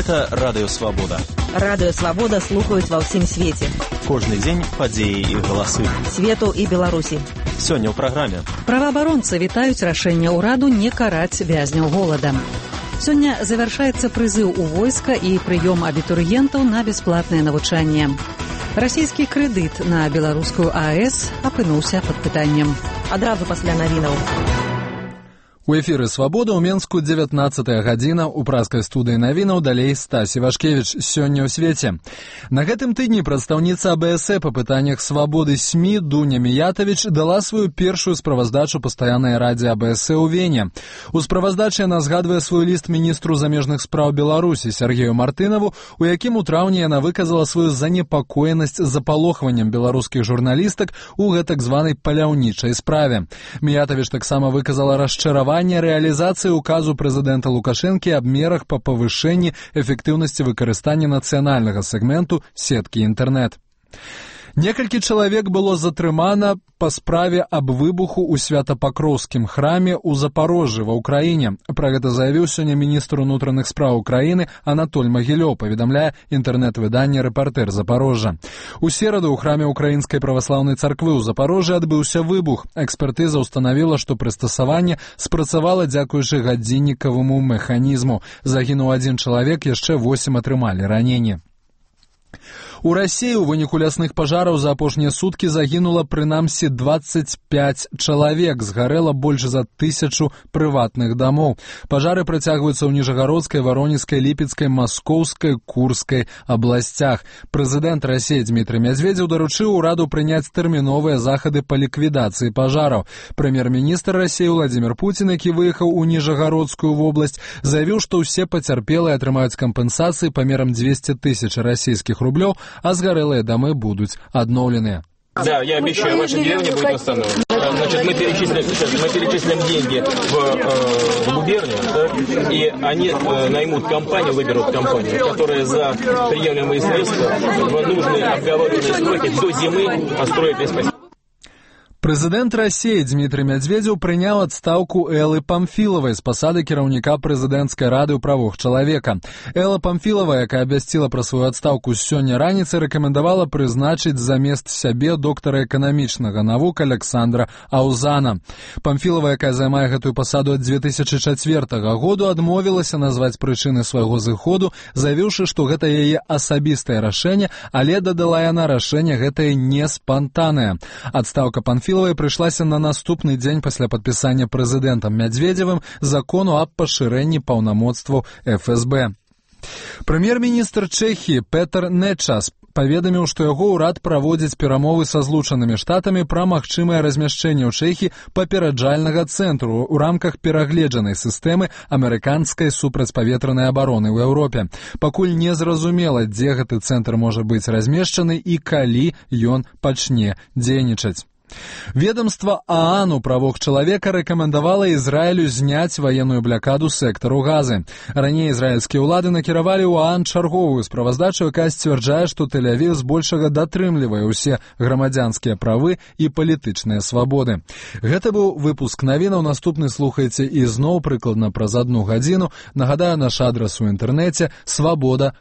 Гэта Радыё Свабода. Радыё Свабода слухаюць ва ўсім свеце. Кожны дзень падзеі і галасы. Свету і Беларусі. Сёння ў праграме. Праваабаронцы вітаюць рашэнне ўраду не караць вязняў голадам. Сёння завяршаецца прызыў у войска і прыём абітурыентаў на бясплатнае навучанне. Расійскі крэдыт на беларускую АЭС апынуўся пад пытаннем. Адразу пасля навінаў. У эфіры «Свабода» ў Менску 19-я гадзіна, у праскай студыі навінаў далей Стась Івашкевіч. Сёння ў свеце. На гэтым тыдні прадстаўніца АБС па пытаннях свабоды СМІ Дуня Міятавіч дала сваю першую справаздачу пастаяннай радзе АБС ў Вене. У справаздачы яна згадвае свой ліст міністру замежных спраў Беларусі Сергею Мартынаву, у якім у траўні яна выказала сваю занепакоенасць запалохваннем беларускіх журналістак у гэтак званай паляўнічай справе. Міятавіч таксама выказала расчараванне рэалізацыі указу прэзідэнта Лукашэнкі аб мерах па павышэнні эфектыўнасці выкарыстання нацыянальнага сегменту сеткі інтэрнэт. Некалькі чалавек было затрымана па справе аб выбуху ў Свята-Пакроўскім храме ў Запарожжы ва ўкраіне. Пра гэта заявіў сёння міністр унутраных спраў Украіны Анатоль Магілёў, паведамляе інтэрнэт-выданне «Рэпартэр Запарожжа». У сераду ў храме Украінскай праваслаўнай царквы ў Запарожжы адбыўся выбух. Экспертыза ўстанавіла, што прыстасаванне спрацавала дзякуючы гадзіннікаваму механізму. Загінуў 1 чалавек, яшчэ 8 атрымалі раненні. У Расіі ў выніку лясных пажараў за апошнія суткі загінула прынамсі 25 чалавек, згарэла больш за 1000 прыватных дамоў. Пажары працягваюцца ў Ніжагародскай, Варонежскай, Ліпецкай, Маскоўскай, Курскай абласцях. Прэзідэнт Расіі Дмітрый Мядзведзеў даручыў ураду прыняць тэрміновыя захады па ліквідацыі пажараў. Прэм'ер-міністр Расіі Владзімір Пуцін, які выехаў у Ніжагародскую вобласць, заявіў, што ўсе пацярпелыя атрымаюць кампенсацыі памерам 200 000 расійскіх рублёў, а сгорелые домы будут обновлены. Да, я обещаю, ваша деревня будет восстановлена. Значит, мы перечислим деньги в губернию, да, и они наймут компанию, выберут компанию, которая за приемлемые средства в нужные обговоренные сроки до зимы построит весь поселок. Прэзідэнт Расіі Дмітрый Мядзведзеў прыняў адстаўку Эллы Памфілавай з пасады кіраўніка прэзідэнцкай рады ў правах чалавека. Элла Памфілава, якая абвясціла пра сваю адстаўку сёння раніцай, рэкамендавала прызначыць замест сябе доктара эканамічнага навук Александра Аузана. Памфілава, якая займае гэтую пасаду ад 2004 году, адмовілася назваць прычыны свайго зыходу, заявіўшы, што гэта яе асабістае рашэнне, але, дадала яна, рашэнне гэтае не спантаннае. Адстаўка Памфілавай прыйшлася на наступны дзень пасля падпісання прэзідэнтам Мядзведзевым закону аб пашырэнні паўнамоцтваў ФСБ. Прэм'ер-міністр Чэхіі Петр Нечас паведаміў, што яго ўрад праводзіць перамовы са Злучанымі Штатамі пра магчымае размяшчэнне ў Чэхіі папераджальнага цэнтру ў рамках перагледжанай сістэмы амерыканскай супрацьпаветранай абароны ў Еўропе. Пакуль не зразумела, дзе гэты цэнтр можа быць размешчаны і калі ён пачне дзейнічаць. Ведомство ААН у правах чалавека рэкамендавала Ізраілю зняць ваенную блакаду сектару Газы. Раней ізраільскія ўлады накіравалі ў ААН чарговую справаздачу, якая сцвярджае, што Тель-Авів збольшага датрымлівае ўсе грамадзянскія правы і палітычныя свабоды. Гэта быў выпуск навінаў, наступны слухайце ізноў прыкладна праз 1 гадзіну. Нагадаю, наш адрас у інтэрнэце свабода.орг.